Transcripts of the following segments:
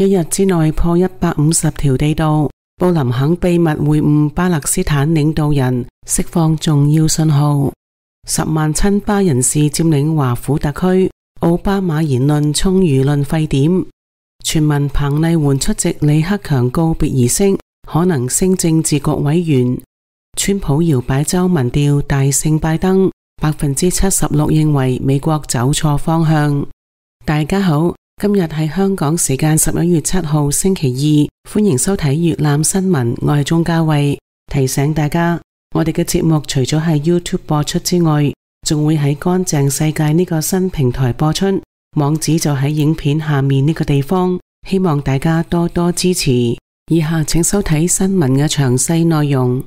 一日之內破150條地道。布林肯秘密會晤巴勒斯坦領導人，釋放重要信號。10萬親巴人士佔領華府特區，奧巴馬言論衝輿論沸點。傳聞彭麗媛出席李克強告別儀式，可能升政治局委員。川普搖擺州民調大勝拜登，76%認為美國走錯方向。大家好，今日係香港時間11月7號星期二，歡迎收睇粵覽新聞，我係鍾嘉慧。提醒大家，我哋嘅節目除咗喺 YouTube 播出之外，仲會喺乾淨世界呢個新平台播出，網址就喺影片下面呢個地方，希望大家多多支持。以下請收睇新聞嘅詳細內容。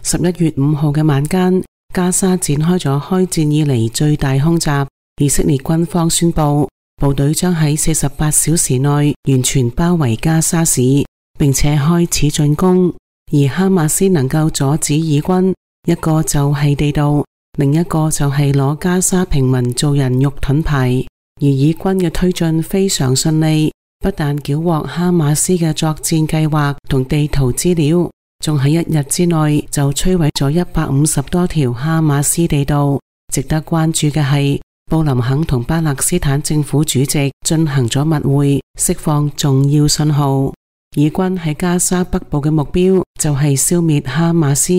11月5號嘅晚間，加沙展開咗開戰以嚟最大空襲。以色列軍方宣布，部隊將喺48小時內完全包圍加沙市，並且開始進攻。而哈馬斯能夠阻止以軍，一個就係地道，另一個就係攞加沙平民做人肉盾牌。而以軍嘅推進非常順利，不但繳獲哈馬斯嘅作戰計劃同地圖資料，仲喺一日之內就摧毀咗150多條哈馬斯地道。值得關注嘅係，布林肯同巴勒斯坦政府主席進行咗密會，釋放重要信號。以軍喺加沙北部嘅目標就係消滅哈馬斯。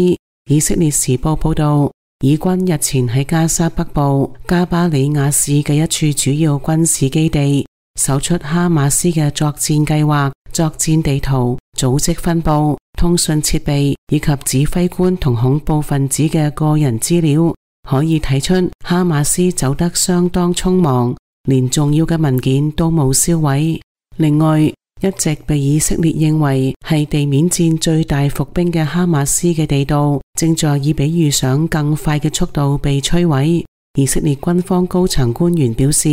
以色列時報報道，以軍日前喺加沙北部加巴里亞市嘅一處主要軍事基地搜出哈馬斯嘅作戰計劃、作戰地圖、組織分布、通訊設備以及指揮官同恐怖分子嘅個人資料，可以睇出哈馬斯走得相當匆忙，連重要嘅文件都冇銷毀。另外，一直被以色列認為係地面戰最大伏兵嘅哈馬斯嘅地道，正在以比預想更快嘅速度被摧毀。以色列軍方高層官員表示，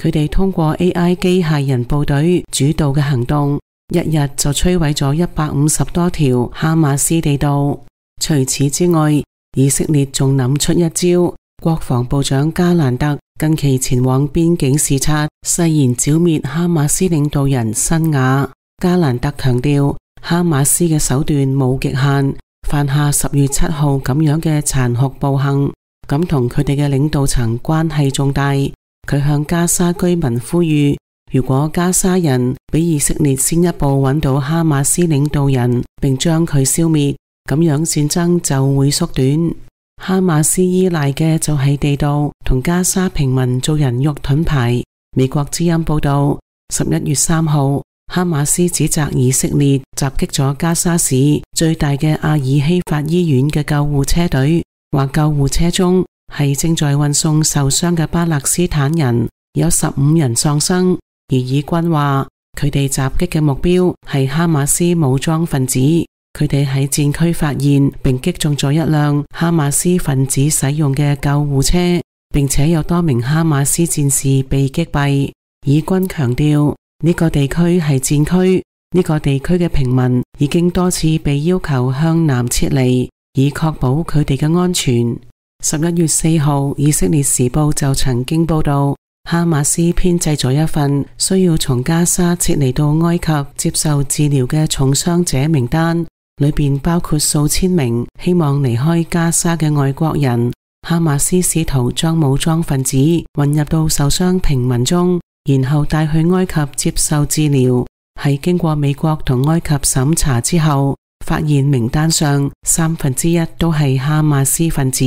佢哋通過 AI 機械人部隊主導嘅行動，一日就摧毀咗150多條哈馬斯地道。除此之外，以色列仲諗出一招，國防部長加蘭特近期前往邊境視察，誓言剿滅哈馬斯領導人辛瓦。加蘭特強調，哈馬斯嘅手段冇極限，犯下10月7號咁樣嘅殘酷暴行，咁同佢哋嘅領導層關係重大。佢向加沙居民呼籲，如果加沙人比以色列先一步揾到哈馬斯領導人並將佢消滅，咁樣戰爭就會縮短。哈馬斯依賴嘅就係地道同加沙平民做人肉盾牌。美國之音報道，11月3號，哈馬斯指責以色列襲擊咗加沙市最大嘅阿爾希法醫院嘅救護車隊，話救護車中係正在運送受傷嘅巴勒斯坦人，有15人喪生。而以軍話佢哋襲擊嘅目標係哈馬斯武裝分子。佢哋喺戰區發現並擊中咗一輛哈馬斯分子使用嘅救護車，並且有多名哈馬斯戰士被擊斃。以軍強調，呢個地區係戰區，呢個地區嘅平民已經多次被要求向南撤離，以確保佢哋嘅安全。11月4號，以色列時報就曾經報道，哈馬斯編製咗一份需要從加沙撤離到埃及接受治療嘅重傷者名單，裏邊包括數千名希望離開加沙嘅外國人。哈馬斯試圖將武裝分子混入到受傷平民中，然後帶去埃及接受治療。喺經過美國同埃及審查之後，發現名單上1/3都係哈馬斯分子。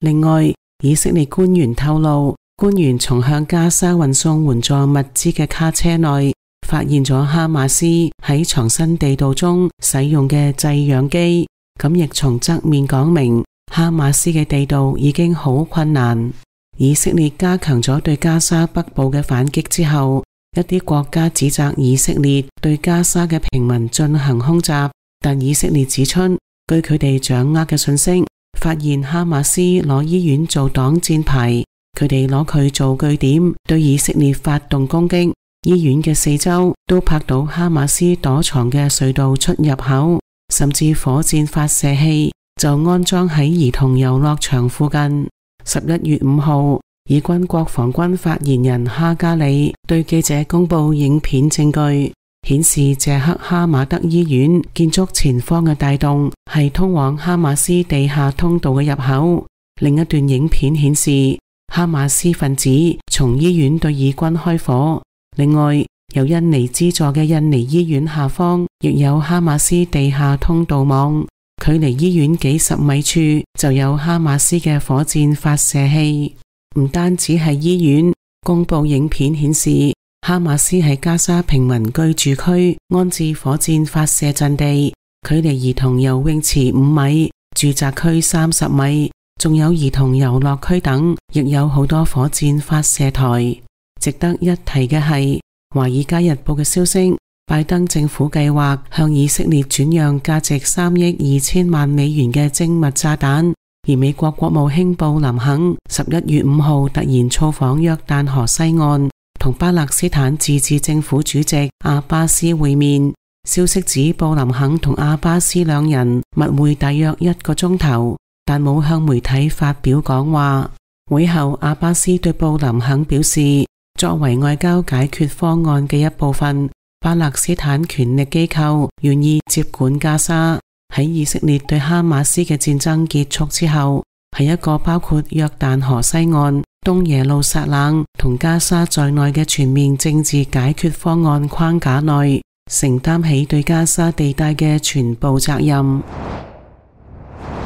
另外，以色列官員透露，官員從向加沙運送援助物資嘅卡車內發現咗哈馬斯喺藏身地道中使用嘅製氧機，咁亦從側面講明哈馬斯嘅地道已經好困難。以色列加強咗對加沙北部嘅反擊之後，一啲國家指責以色列對加沙嘅平民進行空襲，但以色列指出，據佢哋掌握嘅信息，發現哈馬斯攞醫院做擋箭牌，佢哋攞佢做據點，對以色列發動攻擊。醫院嘅四周都拍到哈馬斯躲藏嘅隧道出入口，甚至火箭發射器就安裝喺兒童遊樂場附近。11月5號，以軍國防軍發言人哈加里對記者公布影片證據，顯示謝克哈馬德醫院建築前方嘅大洞係通往哈馬斯地下通道嘅入口。另一段影片顯示哈馬斯分子從醫院對以軍開火。另外，由印尼資助嘅印尼醫院下方亦有哈馬斯地下通道網，距離醫院幾十米處就有哈馬斯嘅火箭發射器。唔單止係醫院，公布影片顯示哈馬斯喺加沙平民居住區安置火箭發射陣地，距離兒童游泳池5米，住宅區30米，仲有兒童遊樂區等，亦有好多火箭發射台。值得一提嘅係，華爾街日報嘅消息，拜登政府計劃向以色列轉讓價值3億2千萬美元嘅精密炸彈。而美國國務卿布林肯11月5號突然造訪約旦河西岸，同巴勒斯坦自治政府主席阿巴斯會面。消息指布林肯同阿巴斯兩人密會大約1個鐘頭，但冇向媒體發表講話。會後，阿巴斯對布林肯表示，作為外交解決方案嘅一部分，巴勒斯坦權力機構願意接管加沙。喺以色列對哈馬斯嘅戰爭結束之後，喺一個包括約旦河西岸、東耶路撒冷同加沙在內嘅全面政治解決方案框架內，承擔起對加沙地帶嘅全部責任。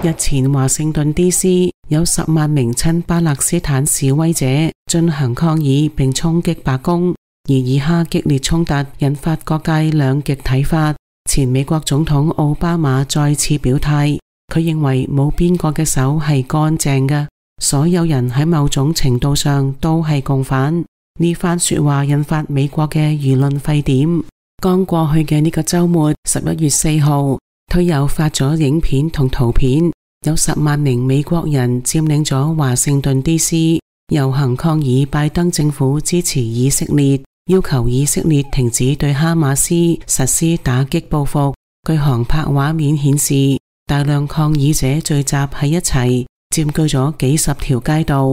日前華盛頓 DC 有10萬名親巴勒斯坦示威者進行抗議並衝擊白宮，而以哈激烈衝突引發各界兩極睇法。前美國總統奧巴馬再次表態，佢認為冇邊個嘅手係乾淨嘅，所有人喺某種程度上都係共犯。呢番說話引發美國嘅輿論沸點。剛過去嘅呢個周末，11月4號，推友發咗影片同圖片，有10萬名美國人佔領咗華盛頓 DC， 遊行抗議拜登政府支持以色列，要求以色列停止對哈馬斯實施打擊報復。據航拍畫面顯示，大量抗議者聚集喺一齊，佔據咗幾十條街道。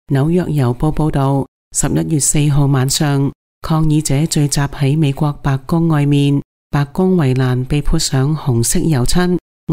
紐約郵報報道，11月4號晚上，抗議者聚集喺美國白宮外面，白宮圍欄被潑上紅色油漆，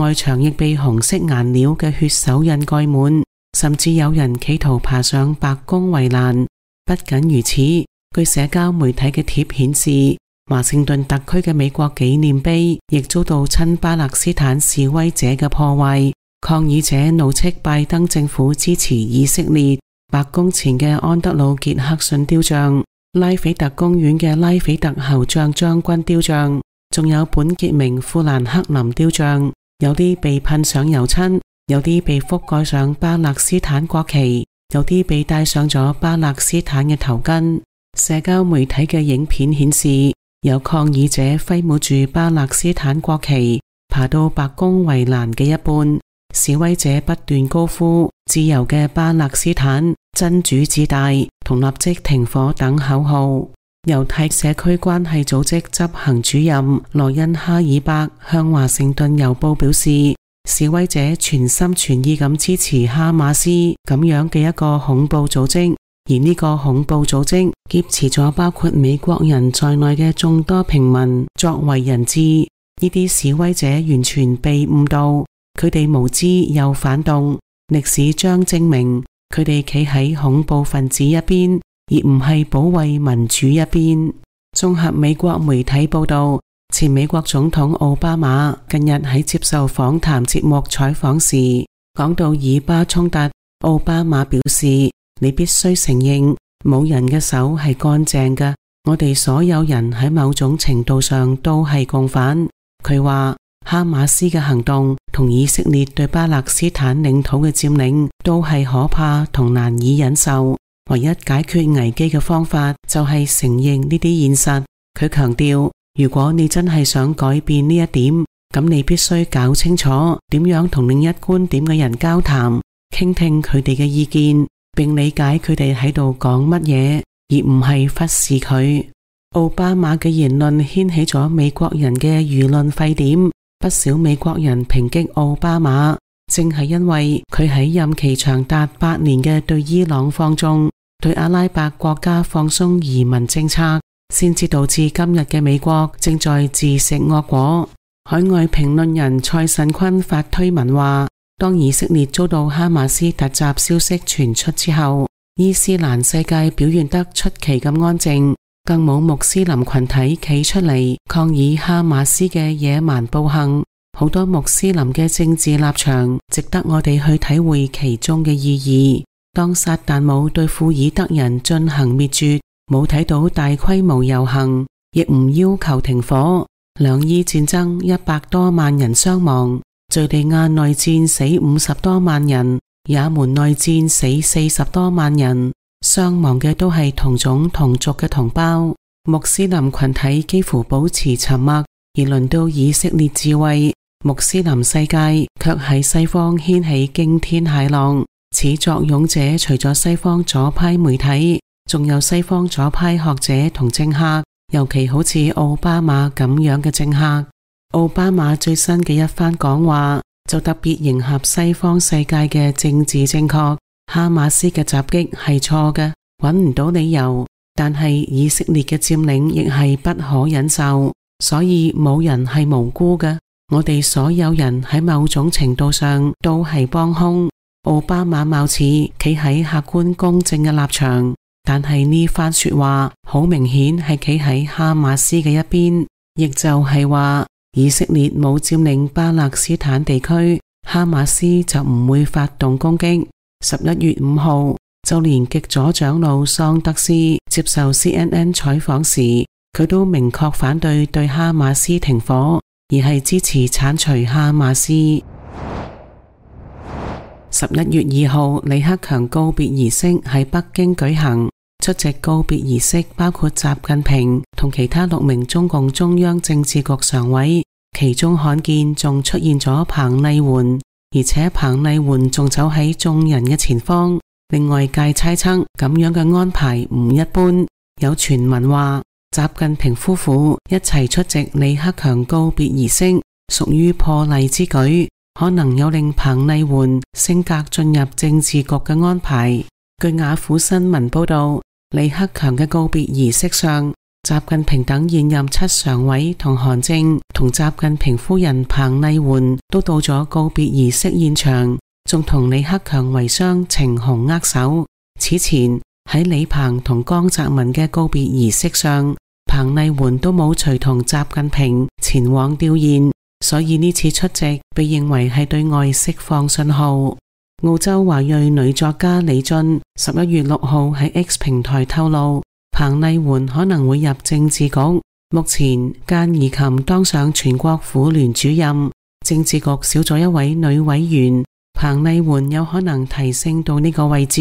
外牆亦被紅色顏料嘅血手印蓋滿，甚至有人企圖爬上白宮圍欄。不僅如此，據社交媒體嘅貼顯示，華盛頓特區嘅美國紀念碑亦遭到親巴勒斯坦示威者嘅破壞。抗議者怒斥拜登政府支持以色列。白宮前嘅安德魯傑克遜雕像、拉斐特公園嘅拉斐特侯將將軍雕像，仲有本傑明富蘭克林雕像，有啲被噴上油漆，有啲被覆蓋上巴勒斯坦國旗，有啲被戴上咗巴勒斯坦嘅頭巾。社交媒體嘅影片顯示，有抗議者揮舞住巴勒斯坦國旗，爬到白宮圍欄嘅一半。示威者不斷高呼自由嘅巴勒斯坦、真主至大同立即停火等口號。猶太社區關係組織執行主任羅恩哈爾伯向華盛頓郵報表示，示威者全心全意咁支持哈馬斯咁樣嘅一個恐怖組織，而呢個恐怖組織劫持咗包括美國人在內嘅眾多平民作為人質。呢啲示威者完全被誤導，佢哋無知又反動，歷史將證明佢哋企喺恐怖分子一邊，而唔係保衛民主一邊。綜合美國媒體報道，前美國總統奧巴馬近日喺接受訪談節目採訪時，講到以巴衝突，奧巴馬表示，你必須承認冇人嘅手係乾淨嘅，我哋所有人喺某種程度上都係共犯。佢話哈馬斯嘅行動同以色列對巴勒斯坦領土嘅佔領都係可怕同難以忍受，唯一解決危機嘅方法就係承認呢啲現實。佢強調，如果你真係想改變呢一點，咁你必須搞清楚點樣同另一觀點嘅人交談，傾聽佢哋嘅意見，並理解佢哋喺度講乜嘢，而唔係忽視佢。奧巴馬嘅言論掀起咗美國人嘅輿論沸點，不少美國人抨擊奧巴馬，正係因為佢喺任期長達8年嘅對伊朗放縱，對阿拉伯國家放鬆移民政策，先至導致今日嘅美國正在自食惡果。海外評論人蔡慎坤發推文話，當以色列遭到哈馬斯突襲消息傳出之後，伊斯蘭世界表現得出奇咁安靜，更冇穆斯林群體企出嚟抗議哈馬斯嘅野蠻暴行。好多穆斯林嘅政治立場值得我哋去體會其中嘅意義。當撒旦冇對庫爾德人進行滅絕，冇睇到大規模遊行，亦唔要求停火。兩伊戰爭100多萬人傷亡，敘利亞內戰死50多萬人，也門內戰死40多萬人，傷亡嘅都係同種同族嘅同胞。穆斯林群體幾乎保持沉默，而輪到以色列自衛，穆斯林世界卻喺西方掀起驚天駭浪。始作俑者除咗西方左派媒體，仲有西方左派學者同政客，尤其好似奧巴馬咁樣嘅政客。奧巴馬最新嘅一番講話就特別迎合西方世界嘅政治正確。哈馬斯嘅襲擊係錯嘅，揾唔到理由，但係以色列嘅佔領亦係不可忍受，所以冇人係無辜嘅。我哋所有人喺某種程度上都係幫兇。奧巴馬貌似企喺客觀公正嘅立場，但係呢番說話好明顯係企喺哈馬斯嘅一邊，亦就係話以色列冇佔領巴勒斯坦地區，哈馬斯就唔會發動攻擊。11月5號，就連極左長老桑德斯接受 CNN 採訪時，佢都明確反對對哈馬斯停火，而係支持鏟除哈馬斯。11月2號，李克強告別儀式喺北京舉行，出席告別儀式包括習近平同其他6名中共中央政治局常委，其中罕見仲出現咗彭麗媛，而且彭麗媛仲走喺眾人嘅前方，令外界猜測咁樣嘅安排唔一般。有傳聞話習近平夫婦一齊出席李克強告別儀式，屬於破例之舉，可能有令彭麗媛升格進入政治局嘅安排。據雅虎新聞報道，李克強嘅告別儀式上，習近平等現任7常委同韓正同習近平夫人彭麗媛都到咗告別儀式現場，仲同李克強遺孀程虹握手。此前喺李鵬同江澤民嘅告別儀式上，彭麗媛都冇隨同習近平前往弔唁，所以呢次出席被認為係對外釋放信號。澳洲華裔女作家李俊11月6號喺 X 平台透露，彭麗媛可能會入政治局。目前間宜琴當上全國婦聯主任，政治局少咗一位女委員，彭麗媛有可能提升到呢個位置，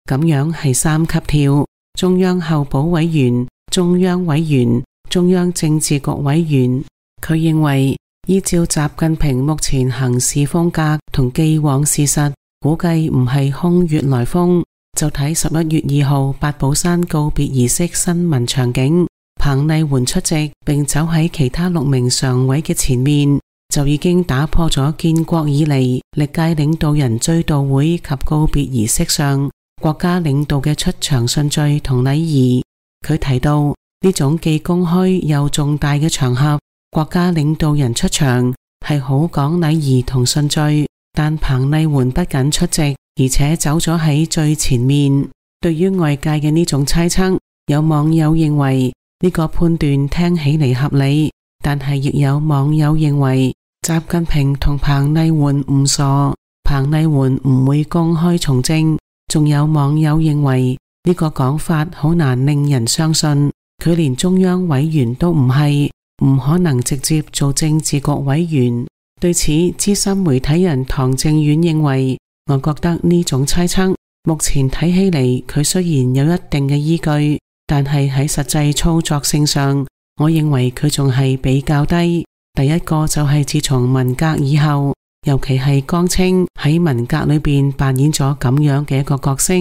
咁樣係3級跳：中央候補委員、中央委員、中央政治局委員。佢認為依照習近平目前行事風格同既往事實，估計唔係空穴來風。就睇11月2號八寶山告別儀式新聞場景，彭麗媛出席並走喺其他6名常委嘅前面，就已經打破咗建國以嚟歷屆領導人追悼會及告別儀式上國家領導嘅出場順序同禮儀。佢提到呢種既公開又重大嘅場合，國家領導人出場係好講禮儀同順序，但彭麗媛不僅出席，而且走咗喺最前面。對於外界嘅呢種猜測，有網友認為呢個判斷聽起嚟合理，但係亦有網友認為習近平同彭麗媛唔傻，彭麗媛唔會公開從政。仲有網友認為呢個講法好難令人相信，佢連中央委員都唔係，唔可能直接做政治局委員。對此，資深媒體人唐正遠認為，我覺得呢種猜測目前睇起嚟，佢雖然有一定嘅依據，但係喺實際操作性上，我認為佢仲係比較低。第一個就係自從文革以後，尤其係江青喺文革裏邊扮演咗咁樣嘅一個角色，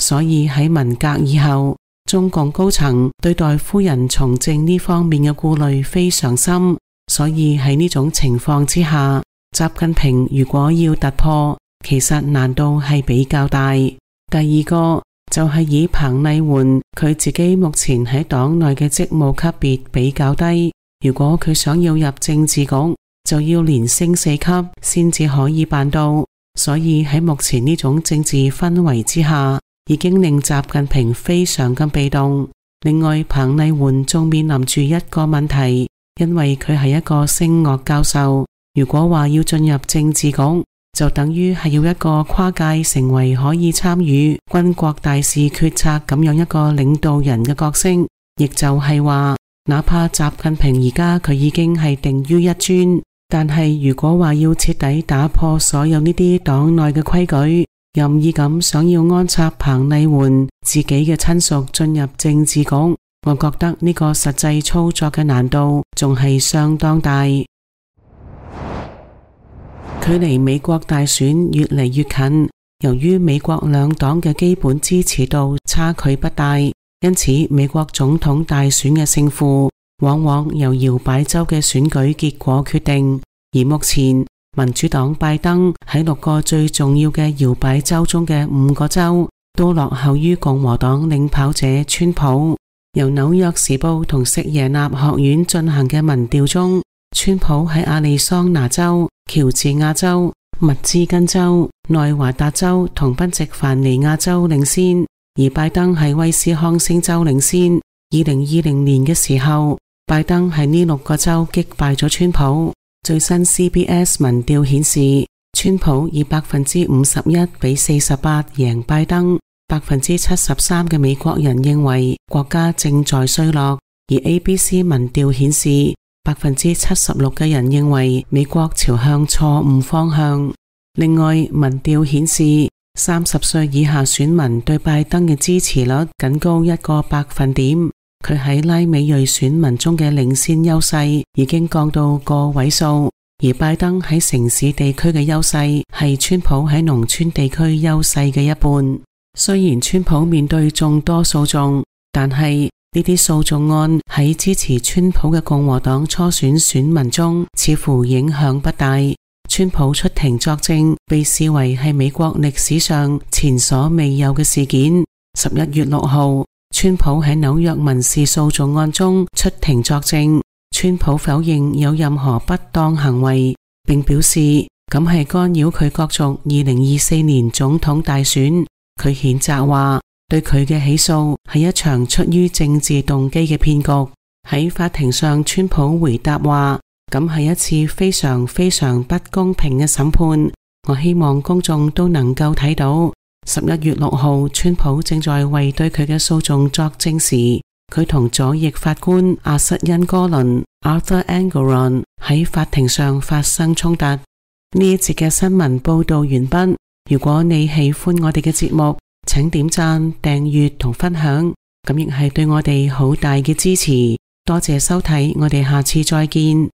所以喺文革以後，中共高層對待夫人從政呢方面嘅顧慮非常深，所以喺呢種情況之下，習近平如果要突破，其實難度係比較大。第二個就係以彭麗媛佢自己目前喺黨內嘅職務級別比較低，如果佢想要入政治局，就要連升4級先至可以辦到。所以喺目前呢種政治氛圍之下，已經令習近平非常咁被動。另外，彭麗媛仲面臨住一個問題，因為佢係一個聲樂教授，如果話要進入政治局，就等於係要一個跨界成為可以參與軍國大事決策咁樣一個領導人嘅角色，亦就係話，哪怕習近平而家佢已經係定於一尊，但係如果話要徹底打破所有呢啲黨內嘅規矩，任意咁想要安插彭麗媛自己嘅親屬進入政治局，我覺得呢個實際操作嘅難度仲係相當大。距離美國大選越嚟越近，由於美國兩黨嘅基本支持度差距不大，因此美國總統大選嘅勝負往往由搖擺州嘅選舉結果決定。而目前民主黨拜登喺6個最重要嘅搖擺州中嘅5個州都落後於共和黨領跑者川普。由紐約時報同錫耶納學院進行嘅民調中，川普喺亞利桑那州、喬治亞州、密芝根州、內華達州同賓夕凡尼亞州領先，而拜登喺威斯康星州領先。2020年嘅時候，拜登喺呢6個州擊敗咗川普。最新 CBS 民調顯示，川普以51%比48贏拜登。73%嘅美國人認為國家正在衰落，而 ABC 民調顯示76%嘅人認為美國朝向錯誤方向。另外，民調顯示30歲以下選民對拜登嘅支持率僅高1個百分點，佢喺拉美裔選民中嘅領先優勢已經降到個位數，而拜登喺城市地區嘅優勢係川普喺農村地區優勢嘅一半。雖然川普面對眾多訴訟，但係呢啲訴訟案喺支持川普嘅共和黨初選選民中似乎影響不大。川普出庭作證被視為係美國歷史上前所未有嘅事件。11月6號，川普喺紐約民事訴訟案中出庭作證，川普否認有任何不當行為，並表示咁係干擾佢角逐2024年總統大選。佢譴責話，對佢嘅起訴係一場出於政治動機嘅騙局。喺法庭上，川普回答話，咁係一次非常非常不公平嘅審判。我希望公眾都能夠睇到。11月6號，川普正在為對佢嘅訴訟作證時，佢同左翼法官阿瑟恩哥倫 Arthur Engoron 喺法庭上發生衝突。呢一節嘅新聞報道完畢。如果你喜歡我哋嘅節目，請點讚、訂閱同分享，咁亦係對我哋好大嘅支持。多謝收睇，我哋下次再見。